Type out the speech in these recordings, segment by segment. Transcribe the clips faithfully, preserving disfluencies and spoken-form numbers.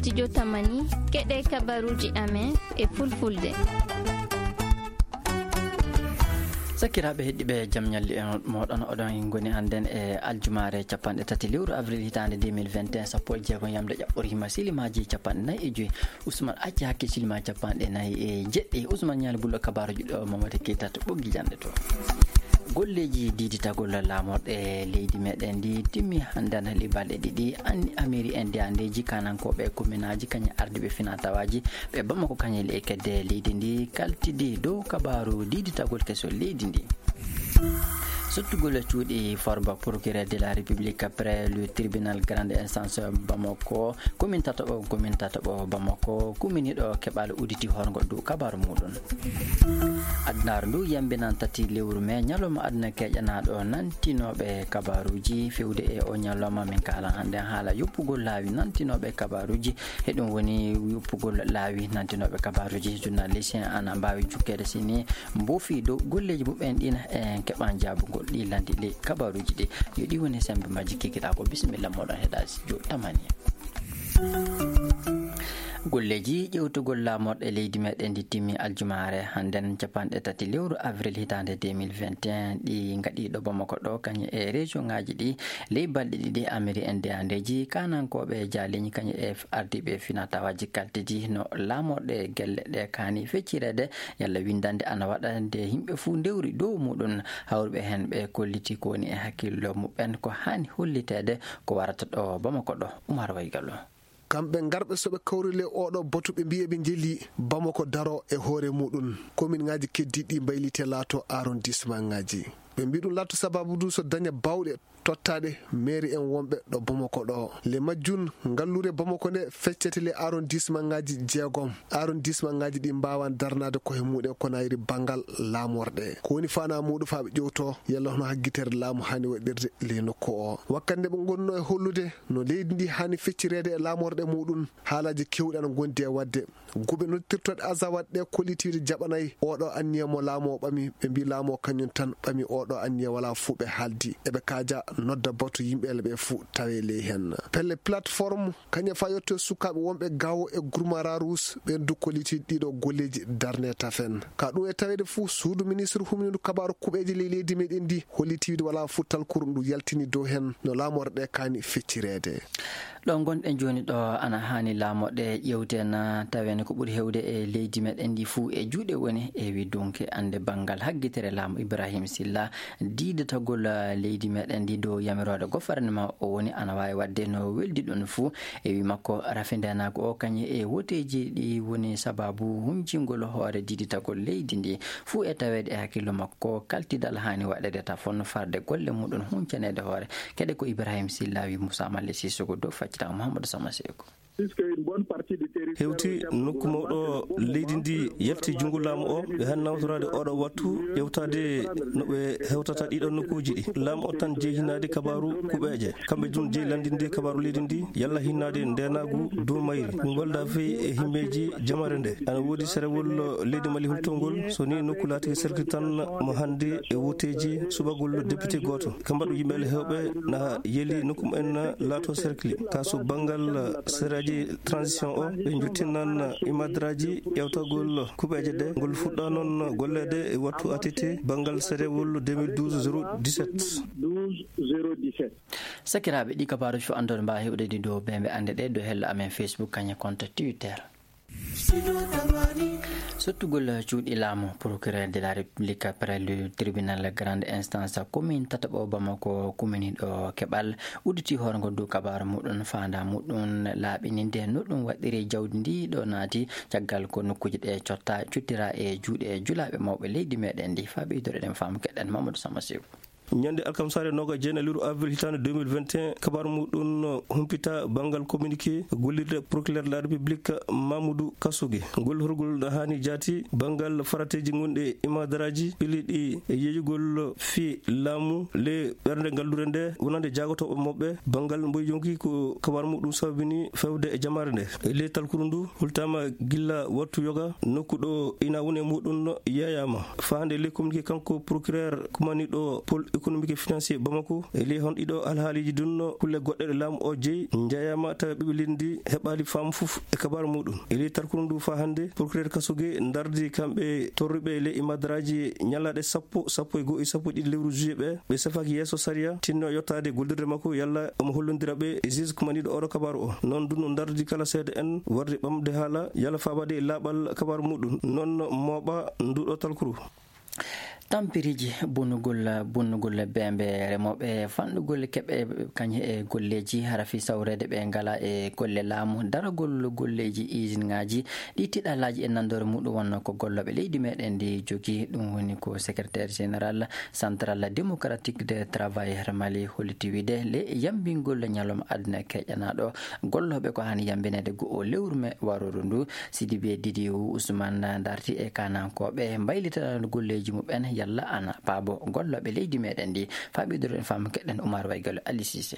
Studio Tamani, keɗe kabaruuji amen e fulfulde. Sakiraaɓe heɗɗiiɓe, jam ñalli e mooɗon. Oɗon ngoni annden e aljumaare capanɗe tati lewru avril hitaande deux mille vingt et un, sappo e jeego yamde ƴaɓɓorima silimaaji capanɗe nayi e joyi. Ousmane acci hakke silima capanɗe nayi e jeɗɗi. Ousmane Ñaali Bullo, kabaaruuji ɗo Mamadi Keita to Ɓoggi Jannde to. Golleeji diiditagol laamorɗe leydi meɗen ndi timmi hannde, ana heɓi balɗe ɗiɗi. An-, amiri en ndeyandeeji kanankooɓe kominaaji kañe ardiiɓe finaa tawaaji ɓe Bamako kañe le kedde leydi ndi kaltidi dow kabaaru diiditagol keso leydi ndi. Sottugol cuuɗi Farba, procureur de la République près le tribunal grande instance Bamako, commune tataɓo, commune tataɓo Bamako, kuminiɗo keɓal udditi horgo dow kabaaru muɗum. Adunaaru ndu yambinan tati lewru mai, ñalawma aduna keƴanaaɗo nantinooɓe kabaaruuji. Fewde e o ñalawma, min kaalan hannde haala yoppugol laawi nantinooɓe kabaaruuji. E ɗum woni yoppugol laawi nantinooɓe kabaaruuji. Journaliste en ana mbaawi jukkeede sini mboofi dow golleeji muɓɓen ɗin, en keɓan jaabugol ɗi landi ley kabaaruuji ɗi. Yo ɗi woni sembe majji kikiɗaa ko. Bisimilla mooɗon heɗaa studio Tamani. Golleeji ƴewtugol laamorɗe leydi meɗen ndi timmi aljumaare hannden, capanɗe tati lewru avril hitaande deux mille vingt et un, ɗi ngaɗi ɗo Bamako ɗo, kañe e région ŋaaji ɗi. Ley balɗe ɗiɗi, amiri en ndeyandeeji kanankooɓe jaaleeji kañe e ardiiɓe finaa tawaaji kaltidi no laamorɗe gelle ɗe kaani feccireede, yalla winndannde ana waɗa nde yimɓe fuu ndewri dow muɗum. Hawruɓe heen ɓe kolliti ko woni e hakkillo muɓɓen ko haani holliteede ko warata ɗo Bamako ɗo. Umar Waygallo. Kamɓe ngarɓe so ɓe kawri le oɗo batu, ɓe mbiye ɓe njeli Bamako daro e hoore muɗum. Komin ŋaaji keddiiɗi mbaylite laato arrondissement ŋaaji. Ɓe mbi ɗum laato sababu du so daña bawɗe tottaaɗe mairie en wonɓe ɗo Bamako ɗo. Le majjun, ngallure Bamako nde feccete le arrondissement ŋaaji jeegom. Arrondissement ŋaaji ɗi mbaawan darnaade koye muɗum ko nayri banngal laamorɗe. Ko woni faanaa muɗum faa ɓe ƴewto yalla hono haggitere laamu haani waɗirde le nokku o. Wakkati nde ɓe ngonno e hollude no leydi ndi haani feccireede e laamorɗe muɗum, haalaaji keewɗi ana ngondi e waɗde. Guɓe noddirtooɗe Azawad ɗe kollitiiɗe jaɓanay oɗo anniya mo laamu o ɓami. Ɓe mbi laamu o kañum tan ɓami oɗo anniya, walaa fuu ɓe haaldi. Eɓe kaaja nodda batu yimɓe ele ɓe fuu tawe ley heen. Pelle plateforme kañum faa yetto sukaaɓe wonɓe Gaawo e Gurmara Ruus, ɓeen du kollitiiɗe ɗiɗo golleeji darne tafen. Ka ɗum e taweede fuu, suudu ministre humnindu kabaaru kuɓeeje ley leydi meɗen ndi hollitiiɗe walaa fuu talkuru ndu yaltini dow heen no laamorɗe kaani feccireede. Ɗo ngonɗen jooni ɗo, ana haani laamorɗe ƴewten, tawen ko ɓuri heewde e leydi meɗen ndi fuu e juuɗe woni, e wi dunke annde banngal haggitere laamu Ibrahim Silla, diidatagol leydi meɗen ndi dow yamiroore gouvernement o woni ana waawi waɗde no weldi ɗum fuu. E wi makko, rafi ndeenaagu o kañum e woteeji ɗi woni sababu huncingol hoore diiditagol leydi ndi fuu e taweede e hakkillo makko ko kaltidal haani waɗeede tafon farde golle muɗum huncaneede hoore. Kadi ko Ibrahim Silla wi Moussa Malle Sissoko dow faccitaango Mahamadou Sama Seko. Hewti nokku mawɗo leydi ndi yalti junngo laamu o, ɓe haani nawtoraade oɗo wattu ƴewtaade no ɓe hewtata ɗiɗo nokkuuji ɗi. Laamu o tan jeyi hinnaade kabaaru kuɓeeje. Kamɓe dun jeyi lanndinde kabaaru leydi ndi, yalla hinnaade ndeenaagu dow mayri. Ngol da fey e himmeeji jamare nde. Ana woodi serewol leydi Mali hultongol, so ni nokku laatike cercle tan mo hannde e woteeji subagol député gooto. Ka mbaɗu yimɓe ele heewɓe na yeli nokku mumen laato cercle. Ka so banngal seraaji transition o, ɓe njottinan imadraaji ƴewtagol kuɓeeje ɗe. Ngol fuɗɗa noon golleede e wattu A T T banngal serewol deux mille douze zéro dix-sept. Sakiraaɓe, ɗi kabaaruuji fof anndude mbaawa heɓde ɗi dow ɓe ɓe annde ɗe dow hello amen Facebook, kañum compte Twitter. Sottugol cuuɗi laamu, procureur de la République près le tribunal grande instance commune tataɓo Bamako kumini ɗo keɓal udditi hoore ngo dow kabaaru muɗum, faandaa muɗum laaɓininde no ɗum waɗɗiri jawdi ndi ɗo naati, caggal ko nokkuuji ɗe cotta, cuttira e juuɗe julaaɓe mawɓe leydi meɗen ndi. Faa ɓeydore ɗen faamu keɗen Mamadou Sama Sew. Ñande alkamsaare noogaas e jeenayi lewru avril hitaande deux mille vingt et un, kabaaru muɗum humpita banngal communiqué gollirde procureur de la République Mamoudou Kassougué. Ngol horgol na haani jaati banngal farateeji gonɗi e imadaraaji piliɗi e yeeyugol fii laamu ley ɓernde ngallure nde wonande jaagotooɓe mawɓe banngal mboy yonki ko kabaaru muɗum sababini fewde e jamaare nde. Ley talkuru ndu hultaama gilla wattu yoga nokku ɗo ina woni e muɗum yeeyaama. Faande ley communiqué kanko procureur kumaniiɗo pol économique et financier Bamako, e ley hon ɗiɗo alhaaliiji ɗun, kulle goɗɗe ɗe laamu o jeyi njayaama tawa ɓiɓɓe leydi ndi heɓaali faamu fof e kabaaru muɗum. E ley tarkuru ndu faa hannde, procureur Kasoge ndardi kamɓe torruɓe ley e madaraaji ñalaaɗe sappo, sappo e go'o e sappo e ɗiɗi lewru juillet ɓe, ɓe safaaki yeeso sariya, tinno yottaade gollirde makko yalla omo hollondira ɓe e juge kumaniiɗo oɗo kabaaru o. Non ɗun no ndardi kala seeɗa en warde ɓamde haala yalla faabaade e laaɓal kabaaru muɗum. Non mooɓa nduɗo talkuru. Tampiriji bonnugol, bonnugol bembe remooɓe fanɗugol keɓe kañe e golleeji hara fii sawreede ɓe ngala e golle laamu, daragol golleeji isinŋaaji ɗi tiɗalaaji e nanndore muɗum wonno ko gollooɓe leydi meɗen ndi jogi. Ɗum woni ko secrétaire général Central Démocratique des Travailleurs Mali holliti wiide le yambingol ñalawma aduna keƴanaaɗo gollooɓe ko hani yambineede go'o lewru me warooru ndu. Sidibe Didiou Ousmane darti e kanankooɓe mbaylita golleeji muɓɓen yalla ana paabo gollooɓe leydi meɗen ndi. Faa ɓeyduɗen faamu keɗen Oumar Waygalo Ali Cissé.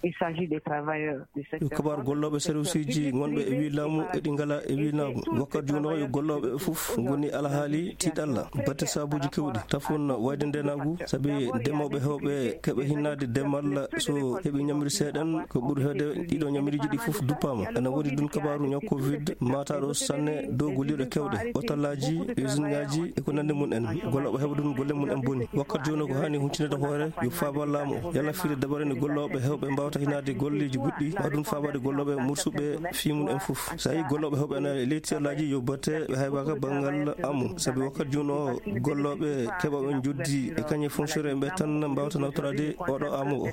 Il s'agit des travailleurs du secteur. Yo kabaaru gollooɓe serviceji ngonɓe e wii laamu e ɗi ngala e wii laamu. Wakkati jooni o yo gollooɓe fof ngoni alhaali tiiɗalla batte sabuuji kewɗi. Tafon wayde ndenaagu, sabi demooɓe heewɓe keɓe hinnaade demal so heɓi ñamri seeɗan, ko ɓuri heewde ɗiɗo ñamriiji ɗi fof duppaama. Ena woodi ɗun kabaaru ñaw covid maataaɗo sanne dow golliiɗo kewɗe, otalaaji, usine ŋaaji e ko nanndi mum en. Gollooɓe heɓa ɗun golle mum en boni. Wakkati jooni o ko haani huncinde hoore yo faaba laamu o. Yalla fii dabare nde gollooɓe heewɓe mbaawata hinnaade golleeji goɗɗi, maa ɗun faabaade gollooɓe mursuɓe fii mum en fof. So a yii gollooɓe heewɓe ena e ley tiiɗallaaji yo batte ɓe haybaaka banngal amu. Sabi wakkati jooni o gollooɓe keɓooɓe njoddi e kañe fonctionnaire ɓe tan mbaawata nawtoraade oɗo amu o.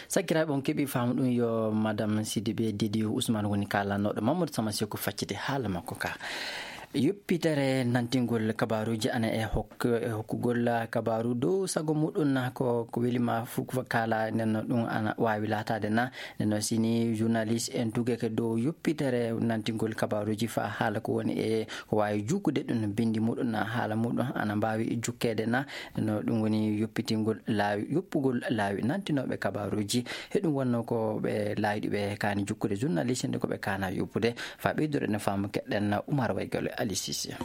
Sakiraaɓe, on keɓii faamu ɗum. Yo Madame Sidibé Didiou Ousmane woni kaalanooɗo Mamadou Sama Seku facciti haala makko ka. Yoppitere nantingol kabaaruuji ana e hok-, e hokkugol kabaaru dow sago muɗum na ko, ko weli ma fu-, ko kaala, nden no ɗum ana waawi laataade na. Nden no sini journaliste en tugeke dow yoppitere nantingol kabaaruuji faa haala ko woni e ko waawi jukude ɗum bindi muɗum na haala muɗum ana mbaawi jukkeede na. No ɗum woni yoppitingol laawi, yoppugol laawi nantinooɓe kabaaruuji. He ɗum wonnoo ko ɓe laayɗi ɓe kaani jukkude journaliste nde ko ɓe kaana yoppude. Faa ɓeydude no faamu keɗɗen Oumar Waygalo Ali Cissé.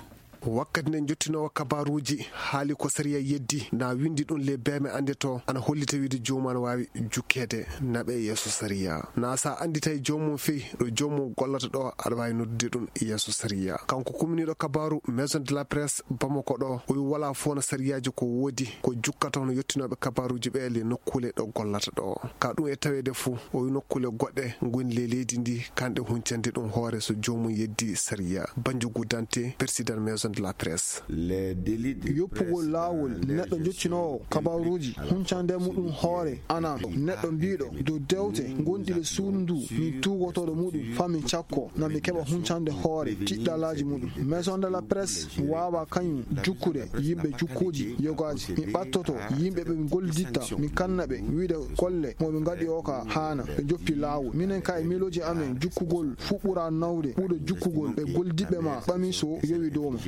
Wakkati nde jottinoowo kabaaruuji haali ko sariya yeddi, na winndi ɗum le beeme annde to, ana hollita wiide joomum ana waawi jukkeede naɓe yeeso sariya. Na so a annditay joomum fey ɗo joomum gollata ɗo, aɗa waawi noddude ɗum yeeso sariya. Kanko kuminiiɗo kabaaru Maison de la Presse Bamako ɗo, o wi walaa fof no sariyaaji ko woodi, ko jukkata hono yottinooɓe kabaaruuji ɓe le nokkuule ɗo gollata ɗo. Ka ɗum e taweede fof, o wi nokkuule goɗɗe ngoni le leydi ndi, kanɗe huncande ɗum hoore so joomum yeddi sariya. Banjugu Dante, président Maison de la Presse. Yoppugol laawol neɗɗo jottinoowo kabaaruuji huncande muɗum hoore, ana neɗɗo mbiiɗo dow dewte ngonɗi le suudu ndu, min tuugotooɗo muɗum faa min cakko na mi keɓa huncande hoore tiɗɗalaaji muɗum. Maison de la Presse waawaa kañum jukkude yimɓe jukkuuji yogaaji. Mi ɓattoto yimɓe ɓe mi golliditta, mi kanna ɓe wiide golle mo ɓe ngaɗi o ka haana, ɓe joppi laawol. Minen ka e miilooji amen jukkugol fuu ɓura nawde ɓuuɗo jukkugol ɓe gollidiɓɓe ma ɓami so yowi dow ma.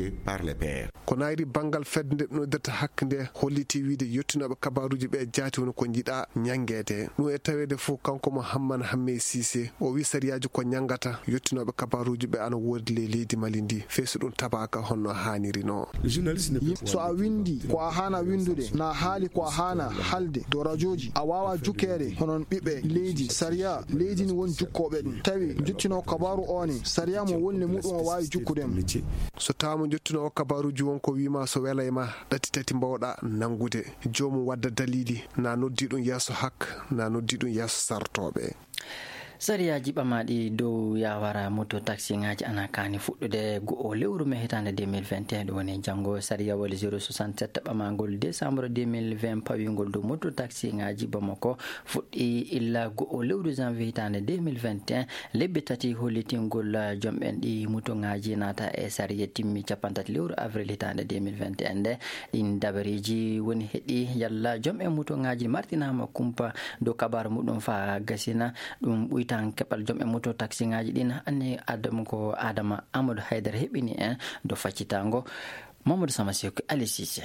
Ko nayri banngal fedde nde ɗum noddirta hakke nde holliti wiide yottinooɓe kabaaruuji ɓe jaati woni ko njiɗa ñanngeede. Ɗum e taweede fof kanko Mouhammad Hammey Cissé, o wi sariyaaji ko ñanngata yottinooɓe kabaaruuji ɓe ana woodi le leydi Mali ndi, fey so ɗum tabaaka honno haaniri no. Yimɓe, so a winndi ko a haana winndude, na haali ko a haana haalde dow rajooji, a waawaa jukkeede hono ɓiɓɓe leydi. Sariya leydi ni woni jukkooɓe ɗum. Tawi jottinoo kabaaru o ne, sariya mo woni le muɗum o waawi jukkude mo. So tawa mo jottinoo o kabaaruuji won ko wii ma so welay ma, ɗati tati mbawɗa nanngude. Joomum wadda daliili, na noddi ɗum yeeso hak, na noddi ɗum yeeso sartooɓe. Sariyaaji ɓamaaɗi dow yaawara moto taksiŋaaji ana kaani fuɗɗude go'o lewru me hitaande deux mille vingt et un, ɗum woni janngo. Sariyawol zéro soixante-sept ɓamaangol décembre deux mille vingt pawingol dow moto taksiŋaaji Bamako fuɗɗi illa go'o lewru janvier hitaande deux mille vingt et un. Lebbi tati hollitingol jom'en ɗi motoŋaaji naata e sariya timmi cappanɗe tati lewru avril hitaande deux mille vingt et un nde. Ɗin dabareeji woni heɗi yalla jom'en motoŋaaji martinaama kumpa dow kabaaru muɗum faa gasina. Ɗum ɓuytan keɓal jom'en moto taksiŋaaji ɗin. Anni Adama ko Adama Amadou Haydara heɓini en dow faccitango. Mamadou Sama Seku Ali Cissé.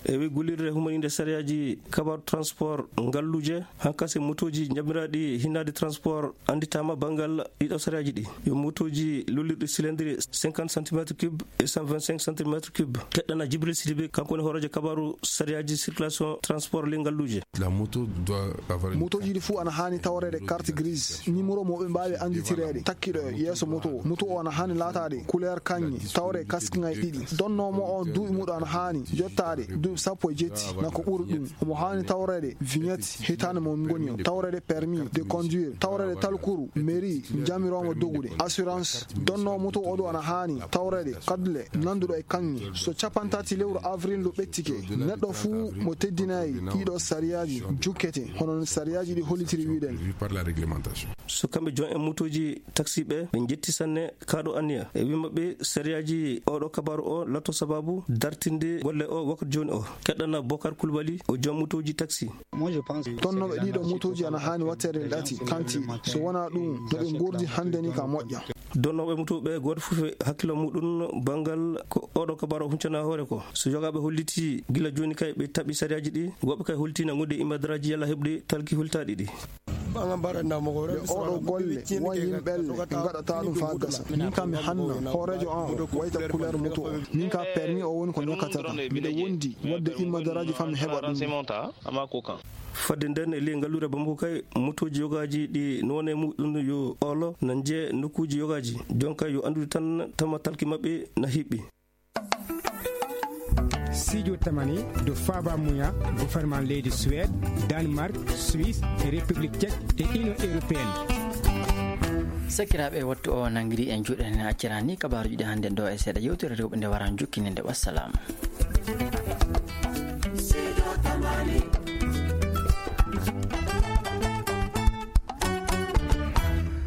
E wi gullirde humaninde sariyaaji kabaru transport ngalluuje, hankase motooji jamiraaɗi hinnaade transport annditaama banngal ɗiɗo sariyaaji ɗi. Yo motooji lullirɗi cylindre cinquante centimètres cube e cent vingt-cinq centimètres cube. Keɗɗana Jibril Sidibe, kanko woni hooreejo kabaru sariyaaji circulation transport ley ngalluuje. La moto doit avoir une Motooji ɗi fuu ana haani tawreede carte grise, numéro mo ɓe mbaawi annditireede, takkiɗo e yeeso moto o. Moto o ana haani laataade couleur kaŋŋe, tawre kaskiŋay ɗiɗi. Donnoo mo o duuɓi muɗo ana haani jottaade duuɓi sappo e jetti, na ko ɓuri ɗum. Omo haani tawreede vignette, hitaande mo ngoni o, tawreede permis de conduire, tawreede talkuru mairie, jamiroomo dogude, assurance. Donnoo moto o ɗo ana haani tawreede kadle nanduɗo e kaŋŋe. So capantaati lewru avril ndu ɓettike, neɗɗo fuu mo teddinaay ɗiɗo sariyaaji jukkete, hono no sariyaaji ɗi hollitiri wiɗen. Par la réglementation. So kamɓe joom en motooji taxi ɓe, ɓe njetti sanne kaaɗo anniya. E wi maɓɓe, sariyaaji oɗo kabaru o latto sababu dartinde golle o wakkati jooni o. Keɗɗana Bokar Kulbali, o joom motooji taxi. Tonnooɓe ɗiɗo motooji ana haani watteede ɗati kanti. So wonaa ɗum, no ɓe ngordi hannde ni ka moƴƴa. Donnooɓe motooɓe gooto fof e hakkillo muɗum banngal ko oɗo kabaru o huncana hoore ko. So yogaaɓe holliti gila jooni kay ɓe taɓi sariyaaji ɗi, woɓɓe kay holti na ngonde e immadaraaji yalla heɓde talki holtaaɗi ɗi. Ɓe oɗo golle won yimɓe ɓe ngaɗata ɗum faa gasa. Min kam mi hanna hooreejo an o wayta couleur moto o. Min ka permis o woni ko ñokkata kam. Miɗo wondi waɗde immadaraaji faa mi heɓa ɗum. Fadde nden e ley ngalluure Bamako kay, motooji yogaaji ɗi noone muɗum yo olo na njee nokkuuji yogaaji. Jon kay yo anndude tan tama talki maɓɓe na hiɓɓi. Sijo tamani do faba muya gouvernement leydi Suède, Danemark, Suisse, République Tchèque et Union Européenne. Sakiraaɓe, wattu o nangiri en juuɗe, en accirani kabaaruji ɗi hannde ɗo e seeɗa yewtere rewɓe nde waran jukkininde. Wassalam.